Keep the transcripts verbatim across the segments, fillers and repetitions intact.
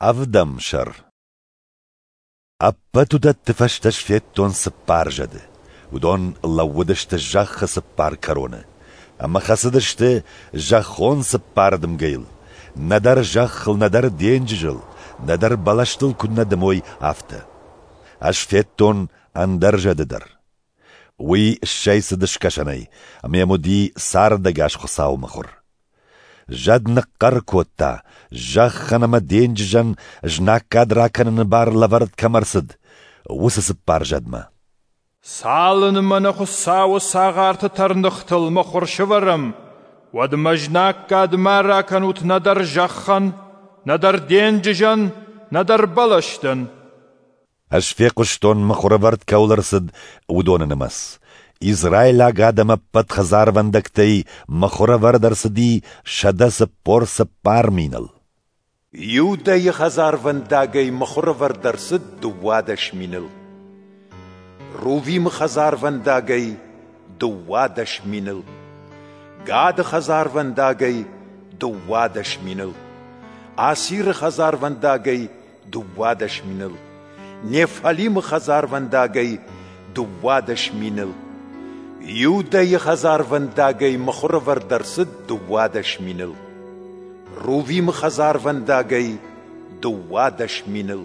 Ӕвдӕм сӕр. Ӕппӕт уыдӕтты фӕстӕ ӕз федтон цыппар зӕды. Уыдон лӕууыдысты зӕххы цыппар кӕроны ӕмӕ хӕцыдысты зӕххон цыппар дымгӕйыл, нӕдӕр зӕххыл, нӕдӕр денджызыл, нӕдӕр бӕлӕстыл куыннӕ дымой, афтӕ. Ӕз федтон ӕндӕр зӕды дӕр. Уый ссӕйцыд скӕсӕнӕй, ӕмӕ йӕм уыди цардӕгас Хуыцауы мыхуыр. Зӕд ныхъхъӕр кодта, зӕххӕн ӕмӕ денджызӕн знаггад ракӕныны бар лӕвӕрд кӕм ӕрцыд, уыцы цыппар зӕдмӕ. Цалынмӕ нӕ Хуыцауы цагъарты тӕрныхтыл мыхуыр сӕвӕрӕм, уӕдмӕ знаггад ма ракӕнут нӕдӕр зӕххӕн, нӕдӕр денджызӕн, нӕдӕр бӕлӕстӕн. Ӕз фехъуыстон, мыхуырӕвӕрд кӕуыл ӕрцыд, уыдоны нымӕц. Израилаг адӕм ӕппӕт хӕдзарвӕндӕгтӕй мыхуырӕвӕрд ӕрцыди сӕдӕ цыппор цыппар миныл. Иудӕйы хӕдзарвӕндагӕй мыхуырӕвӕрд ӕрцыд дыууадӕс миныл. Рувимы хӕдзарвӕндагӕй дыууадӕс миныл. Гады хӕдзарвӕндагӕй дыууадӕс миныл. Асиры хӕдзарвӕндагӕй дыууадӕс миныл. Неффалимы хӕдзарвӕндагӕй дыууадӕс миныл. Иудӕйы хӕдзарвӕндагӕй мыхуырӕвӕрд ӕрцыд дыууадӕс миныл. Рувимы хӕдзарвӕндагӕй дыууадӕс миныл.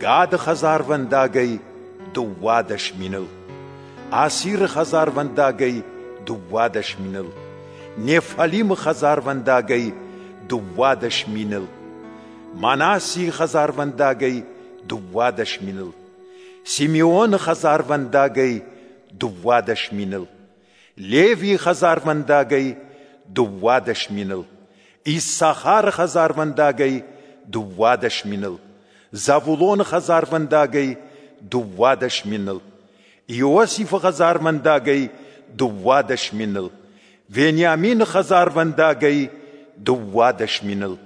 Гады хӕдзарвӕндагӕй дыууадӕс миныл. Асиры хӕдзарвӕндагӕй дыууадӕс миныл. Неффалимы хӕдзарвӕндагӕй дыууадӕс миныл. Манассийы хӕдзарвӕндагӕй дыууадӕс миныл. Симеоны хӕдзарвӕндагӕй дыууадӕс миныл. Левийы хӕдзарвӕндагӕй дыууадӕс миныл. Иссахары хӕдзарвӕндагӕй дыууадӕс миныл. Завулоны хӕдзарвӕндагӕй дыууадӕс миныл. Иосифы хӕдзарвӕндагӕй дыууадӕс миныл. Вениамины хӕдзарвӕндагӕй дыууадӕс миныл.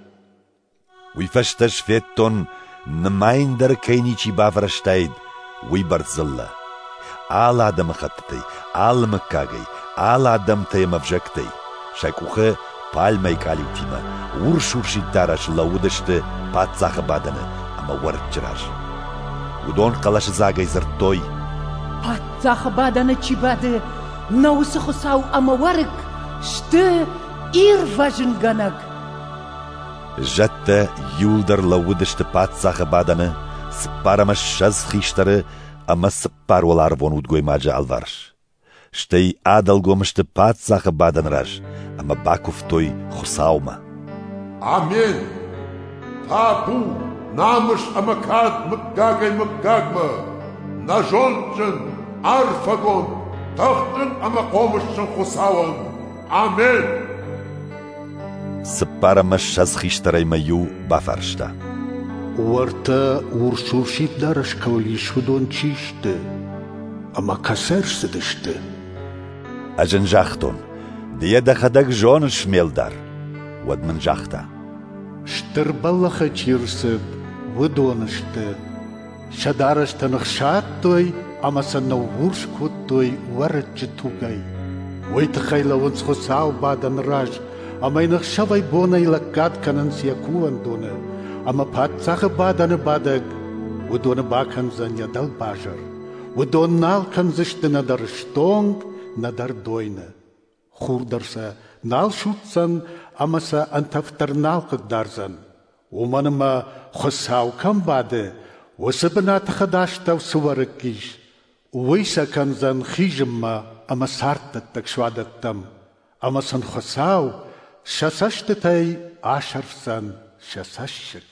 Уый фӕстӕ ӕз федтон, нымайын дӕр кӕй ничи бафӕрӕзтаид, уыйбӕрц дзыллӕ. Алы адӕмыхӕттытӕй, алы мыггагӕй, алы адӕмтӕй ӕмӕ ӕвзӕгтӕй. Сӕ къухы пальмӕйы къалиутимӕ, урс-урсид дарӕсы лӕууыдысты паддзахы бадӕны ӕмӕ Уӕрыччы раз. Уыдон хъӕлӕсыдзагӕй дзырдтой: Паддзахы бадӕны чи бады, нӕ уыцы Хуыцау ӕмӕ Уӕрыкк сты ирвӕзынгӕнӕг. Зӕдтӕ иууылдӕр лӕууыдысты паддзахы бадӕны, цыппар ӕмӕ ссӕдз хистӕры ӕмӕ цыппар уӕларвон удгоймаджы алыварс. Стӕй адӕлгом сты паддзахы бадӕны раз ӕмӕ бакуывтой Хуыцаумӕ. Амен! Табу, намыс ӕмӕ кад мыггагӕй-мыггагмӕ, нӕ зондджын, арфӕгонд, тыхджын ӕмӕ хъомысджын Хуыцауӕн! Амен! Цыппар ӕмӕ ссӕдз хистӕрӕй мӕ иу бафарста: Уӕртӕ урс-урсид дарӕс кӕуыл ис, уыдон чи сты ӕмӕ кӕцӕй ӕрцыдысты? Ӕз ын загътон: Ды йӕ дӕхӕдӕг зоныс, ме лдар. Уӕд мын загъта: Стыр бӕллӕхы чи рцыд, уыдон сты. Сӕ дарӕстӕ ныхсадтой ӕмӕ сӕ ныуурс кодтой Уӕрыччы тугӕй. Уый тыххӕй лӕууынц Хуыцауы бадӕны раз ӕмӕ йын ӕхсӕвӕй-бонӕй лӕггад кӕнынц йӕ кувӕндоны, ӕмӕ паддзахы бадӕны бадӕг уыдоны бакӕндзӕн йӕ дӕлбазыр. Уыдон нал кӕндзысты нӕдӕр стонг, нӕдӕр дойны. Хур дӕр сӕ нал судздзӕн ӕмӕ сӕ ӕнтӕф дӕр нал хъыгдардзӕн. Уымӕн ӕмӕ Хуыцау кӕм бады, уыцы бынаты хӕдастӕу цы уӕрыкк ис, уый сӕ кӕндзӕн хизынмӕ ӕмӕ царддӕттӕг суадӕттӕм, ӕмӕ сын Хуыцау сӕ цӕстытӕй асӕрфдзӕн сӕ цӕссыг.